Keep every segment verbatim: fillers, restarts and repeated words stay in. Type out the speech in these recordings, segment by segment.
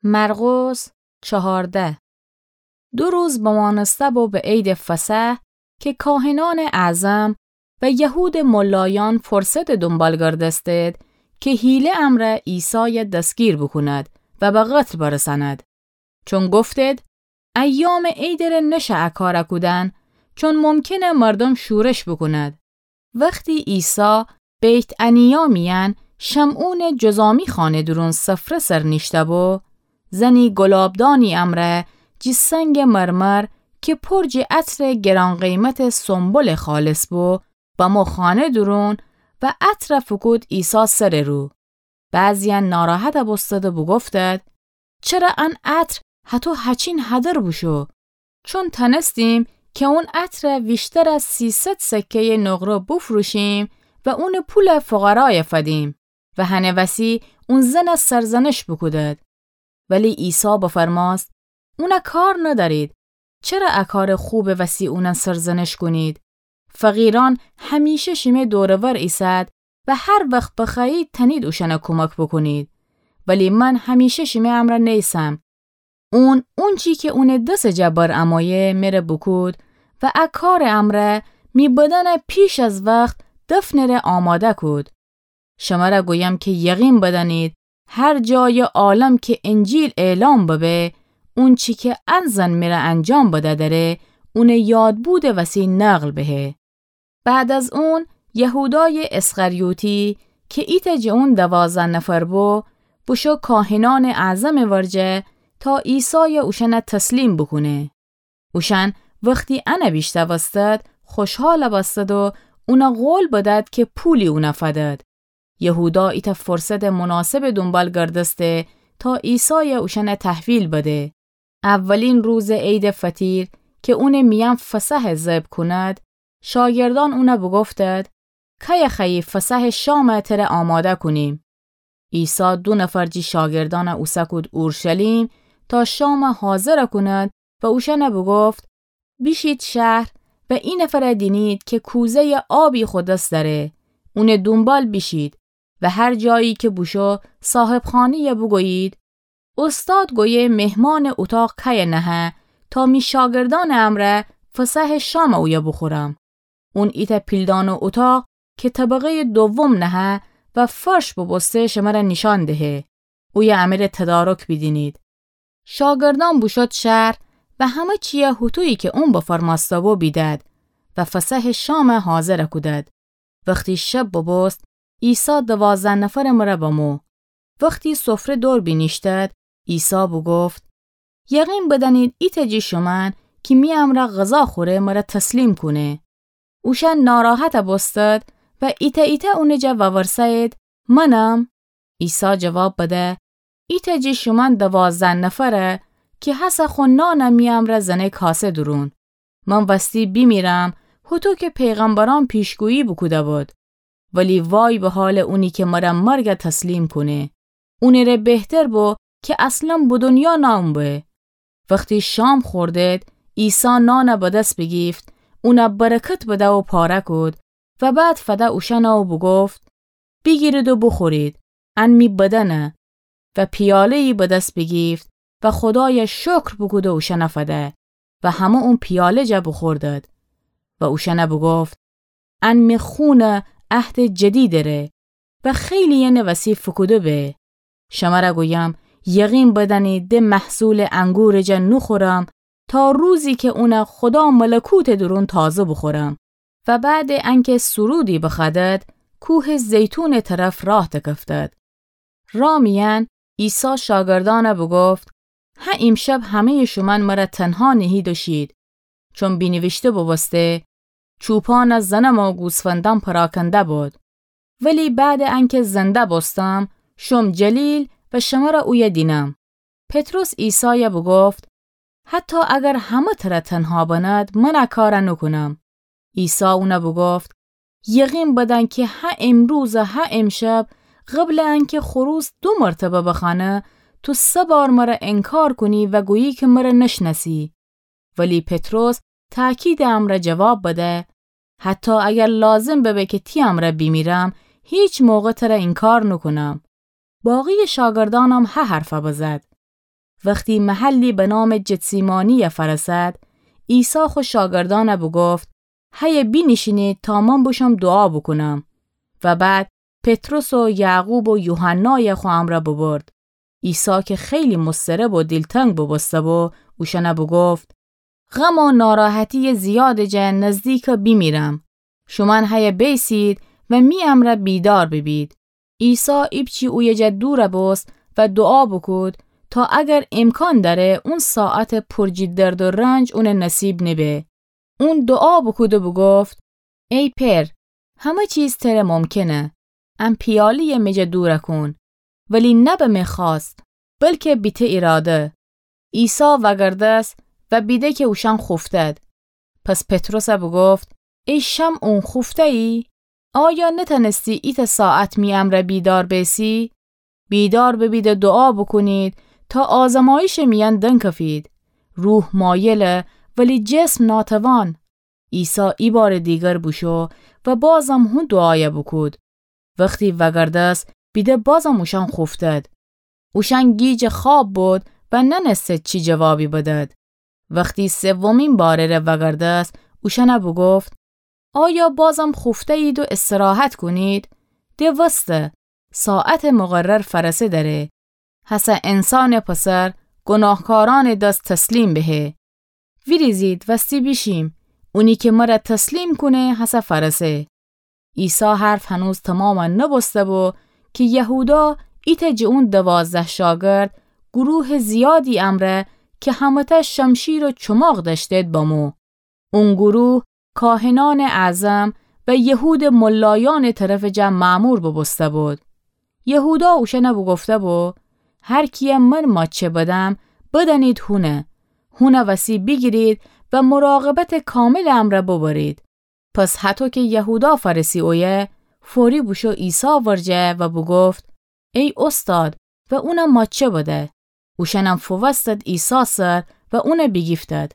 مرقس چهارده. دو روز بمانسته بو به عیدٚ فصح کی کاهنأنٚ اعظم و یهودٚ ملایأن فرصتٚ دونبال گردستید کی حیله امرأ عیسای دسگیر بوکوند و به قتل برسأند. چون گفتید، ایامٚ عیدٚ ره نشه ا کار کودن، چون ممکنه مردوم شورش بوکوند. وختی عیسی بیت‌عنیا میأن شمعونٚ جذامی خانه دورون سفره سر نیشته بو، زنی گلابدانی امرأ جی سنگٚ مرمر کی پر جی عطرٚ گران‌قیمتٚ سنبلٚ خالص بو، بمو خانه دورون و عطر فوکود عیسی سرٚ رو. بعضی‌یأن ناراحت بوستد و بوگفتد، چره ان عطر هتو هچین هدر بوشو؟ چون تنستیم کی اون عطر ویشتر از سیصد سکه‌یٚ نقره بوفروشیم و اونٚ پول فقرای فدیم و هنٚ وسی اون زن سرزنش بوکودد. ولی عیسی بفرماست، اونه کار ندأرید. چره ا کارٚ خوبٚ وسی اونه سرزنش کونید؟ فقیرأن همیشه شیمه دور و ور ایسد و هر وخت بخوأیید تأنید اوشأنه کومک بوکونید. ولی من همیشه شیمه امرأ نیسم. اون، اونچی کی اونٚ دسٚ جا بر امویه مره بوکود و ا کارٚ امرأ می بدنه پیش از وخت دفنٚ ره آماده کود. شمره گویم کی یقین بدأنید، هر جایٚ عالم کی انجیل اعلام ببه، اونچی کی ان زن مره انجام بده دره، اونٚ یادبودٚ وسی نقل بهه. بعد از اون، یهودایٚ اسخریوطی کی ایتأ جٚه اون دوازده نفر بو، بوشو کاهنأنٚ اعظمٚ ورجه تا عیسای اوشأنه تسلیم بوکونه. اوشأن وختی انه بیشنوستد، خوشحال بستد و اونه قول بدد کی پولی اونه فدد. یهودا ایتأ فرصتٚ مناسبٚ دونبال گردسته تا عیسای اوشأنه تحویل بده. اولین روزٚ عیدٚ فطیر کی اونٚ میأن فصح ذبح کند، شاگردأن اونه بوگفتد، کیه خوأیی فصحٚ شام تره آماده کونیم؟ عیسی دو نفر جی شاگردأنه اوسه کود اورشلیم تا شام حاضر کند و اوشأنه بوگفت، بیشید شهر و ای نفره دینید کی کوزه‌یٚ آبی خو دس دأره، اونٚ دونبال بیشید و هر جایی کی بوشو صاحبخانه‌یه بوگویید، اوستاد گویه مهمانٚ اوطاق کیه نهه تا می شاگردأنٚ امرأ فصحٚ شام اویه بوخورم. اون ایتأ پیلدانٚ اوطاق کی طبقه‌یٚ دوم نهه و فرش بوبوسته شمره نیشأن دهه. اویه امره تدارک بیدینید. شاگردأن بوشد شهر و همه چیه هوطویی کی اون بفرمأسته بو بیدد و فصحٚ شام حاضر کودد. وختی شب بوبوست، عیسی دوازده نفرٚ مره بمو. وختی سفره دور بینیشتد، عیسی بوگفت، یقین بدأنید ایتأ جٚه شومأن کی می امرأ غذا خوره مره تسلیم کونه. اوشأن ناراحت بوستد و ایتأ ایتأ اونٚ جا وورسه‌یید، منم؟ عیسی جواب بده، ایتأ جٚه شومأن دوازده نفره کی هسه خو نانه می امرأ زنه کاسه دورون. من وستی بیمیرم، هوطو کی پیغمبرأن پیشگویی بوکوده بود. ولی وای به حالٚ اونی کی مره مرگ تسلیم کونه. اونٚ ره بهتر بو کی اصلا به دونیا نأمو به. وختی شام خوردید، عیسی نان به دس بیگیفت، اونه برکت بده و پاره کود و بعد فده اوشأنه و بوگفت، بیگیرید و بوخورید، ان می بدنه. و پیاله‌یی به دس بیگیفت و خودایه شکر بوکود و اوشأنه فده و همه اون پیاله جا بوخوردد. و اوشأنه بوگفت، ان می خونٚ عهدٚ جدیدٚ ره و خیلی‌یأنٚ وسی فوکوده به. شمره گویم، یقین بدأنید ده محصولٚ انگورٚ جا نوخورم تا روزی کی اونه خودا ملکوتٚ دورون تازه بوخورم. و بعدٚ انکی سرودی بخوأدد، کوهٚ زیتونٚ طرف راه دکفتد. راه میأن عیسی شاگردأنه بوگفت، هه ایمشب همه‌یٚ شومأن مره تنها نهید و شید، چون بینیویشته بوبوسته، چوپانه زنم و گوسفندأن پراکنده بود. ولی بعدٚ انکی زنده بوستم، شوم جلیل و شمره اویه دینم. پطرس عیسایه بوگفت، حتی اگر همه تره تنها بنید، من ا کاره نوکونم. عیسی اونه بوگفت، یقین بدأن کی هه امروز و هه امشب، قبلٚ انکی خروس دو مرتبه بخوأنه، تو سه بار مره انکار کونی و گویی کی مره نشنأسی. ولی پطرس تأکیدٚ امرأ جواب بده، حتی اگر لازم ببه کی تی امرأ بیمیرم، هیچ موقع تره انکار نوکونم. باقیٚ شاگردأنم هه حرفه بزد. وختی محلی به نامٚ جتسیمانی‌یه فأرسد، عیسی خو شاگردأنه بوگفت: هیه بینیشینید تا من بوشوم دوعا بوکونم. و بعد پطرس و یعقوب و یوحنایه خو امرأ بوبرد. عیسی که خیلی مضطرب و دیلتنگ بوبوسته‌بو، اوشأنه بوگفت: غم و ناراحتیٚ زیادٚ جا نزدیکه بیمیرم. شومأن هیه بیسید و می امرأ بیدار بیبید. عیسی ایپچی اویه جا دور بوست و دوعا بوکود تا اگر امکان دأره، اون ساعتٚ پر جٚه درد و رنج اونٚ نصیب نبه. اون دوعا بوکود و بوگفت: ای پئر، همه چیز تره ممکنه. ا پیاله‌یه می جا دور کون. ولی نه به می خواست، بلکه به تی اراده. عیسی وأگردست و بیده که اوشأن خوفتد. پس پطرسه بوگفت: ای شمعون، خوفته‌یی؟ آیا نتأنستی ایتأ ساعت می امرأ بیدار بیسی؟ بیدار ببید و دوعا بوکونید تا آزمایشٚ میأن دنکفید. روح مایله، ولی جسم ناتوان. عیسی ای بارٚ دیگر بوشو و بازم هو دوعایه بوکود. وختی وأگردست، بیده بازم اوشأن خوفتد. اوشأن گیجٚ خواب بود و ننستد چی جوابی بدد. وختی سومین بارٚ ره وأگردست، اوشأنه بوگفت: آیا بازم خوفته‌یید و استراحت کونید؟ ده وسته، ساعتٚ مقرر فأرسه دأره. هسه انسانٚ پسر گناهکارأنٚ دس تسلیم بهه. ویریزید وستی بیشیم، اونی که مره تسلیم کونه هسه فأرسه. عیسی حرف هنوز تمام نبوسته‌بو که یهودا ایتأ جٚه اون دوازده شاگرد گروهٚ زیادی امرأ که همه‌تأ شمشیر و چماق دأشتید بمو. اون گروه کاهنأنٚ اعظم و یهودٚ ملایأنٚ طرفٚ جا مأمور بوبوسته‌بود. یهودا اوشأنه بوگفته‌بو: هر کیه من ماچه بدم، بدأنید هونه. هونه وسی بیگیرید و مراقبتٚ کاملٚ امرأ ببرید. پس هطو که یهودا فأرسی اویه، فوری بوشو عیسی ورجه و بوگفت: ای اوستاد، و اونه ماچه بده. اوشأنم فووستد عیسی سر و اونه بیگیفتد.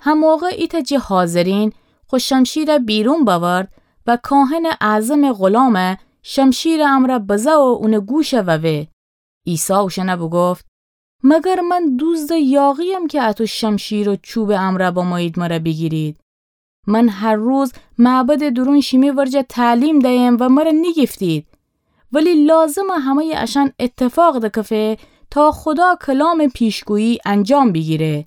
هموقع ایتأ جٚه حاضرین خو شمشیره بیرون بأورد و کاهنٚ اعظمٚ غلامه شمشیرٚ امرأ بزه و اونٚ گوشه ووه. عیسی اوشأنه بوگفت: مگر من دوزدٚ یاغی‌یم که اطو شمشیر و چوبٚ امرأ بمویید مره بیگیرید؟ من هر روز معبدٚ دورون شیمی ورجه تعلیم دیم و مره نیگیفتید. ولی لازمه همه‌یٚ اشأن اتفاق دکفه تا خودا کلامٚ پیشگویی انجام بیگیره.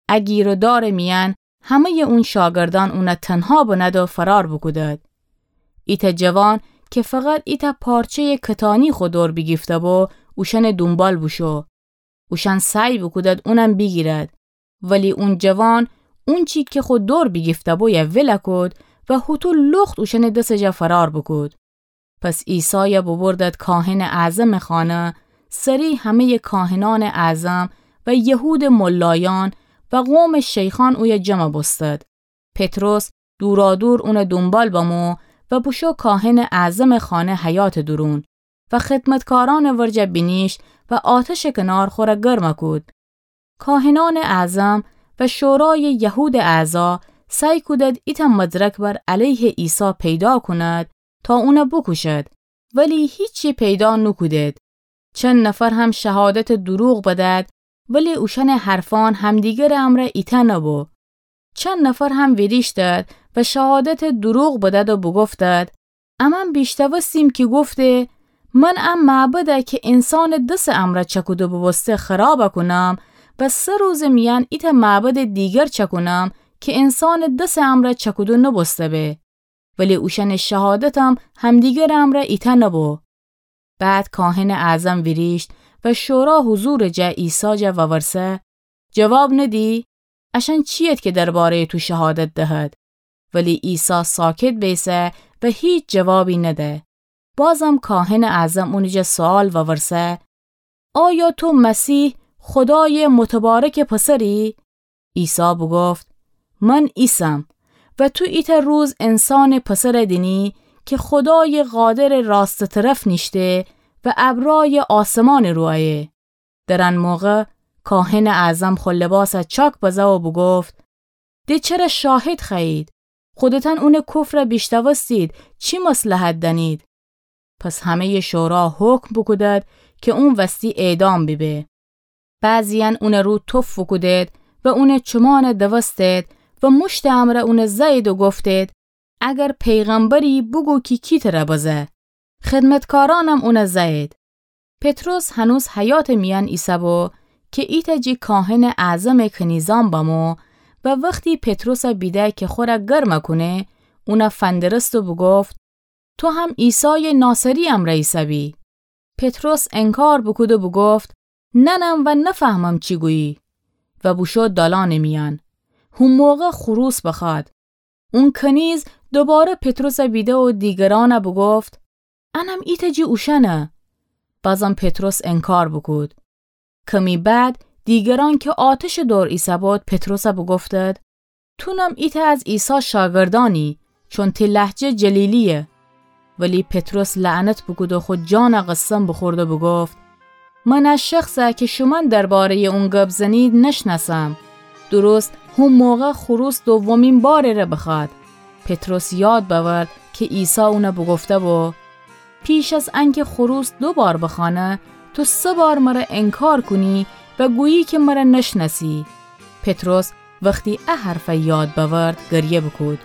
ا گیر و دارٚ میأن همه‌یٚ اون شاگردأن اونه تنها بنه‌د و فرار بوکودد. ایتأ جوان که فقط ایتأ پارچه‌یٚ کتانی خو دور بیگیفته‌بو، اوشأنٚ دونبال بوشو. اوشأن سعی بوکودد اونم بیگیرد. ولی اون جوان اونچی که خو دور بیگیفته‌بویه ولَ کود و هوطو لخت اوشأنٚ دسٚ جا فرار بوکود. پس عیسایه بوبردد کاهنٚ اعظمٚ خانه، سری همه‌یٚ کاهنأنٚ اعظم و یهودٚ ملایأن و قومٚ شیخأن اویه جمع بوستد. پطرس دورادور اونه دونبال بمو و بوشو کاهنٚ اعظمٚ خانه حیاطٚ دورون و خدمتکارأنٚ ورجه بینیشت و آتشٚ کنار خوره گرم کود. کاهنأنٚ اعظم و شورایٚ یهودٚ اعضا سعی کودد ایتأ مدرک بر علیه عیسی پیدا کند تا اونه بوکوشد، ولی هیچی پیدا نوکودد. چند نفر هم شهادتٚ دوروغ بدد، ولی اوشأنٚ حرفأن همدیگرٚ امرأ ایتأ نبو. چند نفر هم ویریشتد و شهادتٚ دوروغ بدد و بوگفتد: امأن بیشتوستیم کی گفته: من ا معبده کی انسانٚ دسٚ امرأ چأکوده بوبوسته خراب کونم و سه روزٚ میأن ایتأ معبدٚ دیگر چأکونم کی انسانٚ دسٚ امرأ چأکوده نوبوسته به. ولی اوشأنٚ شهادتم همدیگرٚ امرأ ایتأ نبو. بعد کاهنٚ اعظم ویریشت و شورا حضورٚ جا عیسی جا وورسه: جواب ندی؟ اشأن چیید کی درباره‌یٚ تو شهادت دهد؟ ولی عیسی ساکت بیسه و هیچ جوابی نده. بازم کاهنٚ اعظم اونٚ جا سؤال وورسه: آیا تو مسیح، خودایٚ متبارکٚ پسری؟ عیسی بوگفت: من ایسم و تو ایتأ روز انسانٚ پسر دینی کی خودایٚ قادرٚ راستٚ طرف نیشته و ابرایٚ آسمانٚ رو ایه. در ان موقع کاهنٚ اعظم خو لباس چاک بزه و بوگفت: ده چره شاهد خوأیید؟ خودتأن اونٚ کفر بیشتوستید، چی مصلحت دأنید؟ پس همه‌یٚ شورا حکم بوکودد کی اون وستی اعدام بیبه. بعضییأن اونٚ رو تف بوکودید و اونٚ چومأنَ دوستید و موشتٚ امرأ اونَ زأیید و گفتید: اگر پیغمبری، بوگو کی کی ترَ بزه. خدمتکارأنم اونَ زأیید. پطرس هنوز حیاطٚ میأن ایسه‌بو کی ایتأ جی کاهنٚ اعظمٚ کنیزأن بمو و وختی پطرسَ بیده کی خورَ گرمَ کونه، اونَ فندرست و بوگفت: تو هم عیسایٚ ناصری امرأ ایسه‌بی. پطرس انکار بوکود و بوگفت: نأنم و نفهمم چی گویی. و بوشو دالأنٚ میأن. هو موقع خروس بخوأد. اون کنیز دوباره پطرسَ بیده و دیگرأنَ بوگفت: انم ایتأ جی اوشأنه. بازم پطرس انکار بوکود. کمی بعد دیگرأن کی آتشٚ دور ایسه‌بود پطرسَ بوگفتید: تونم ایتأ از عیسی شاگردأنی، چون تی لهجه جلیلییه. ولی پطرس لعنت بوکود و خو جانَ قسم بوخورد و بوگفت: من ا شخصَ کی شومأن درباره‌یٚ اون گب زنید نشنأسم. درست هو موقع خروس دومین بارٚ ره بخوأد. پطرس یاد بأورد کی عیسی اونَ بوگفته‌بو: پیش از انکی خروس دو بار بخوأنه، تو سه بار مرَ انکار کونی و گویی کی مرَ نشنأسی. پطرس وختی ا حرفَ یاد بأورد، گریه بوکود.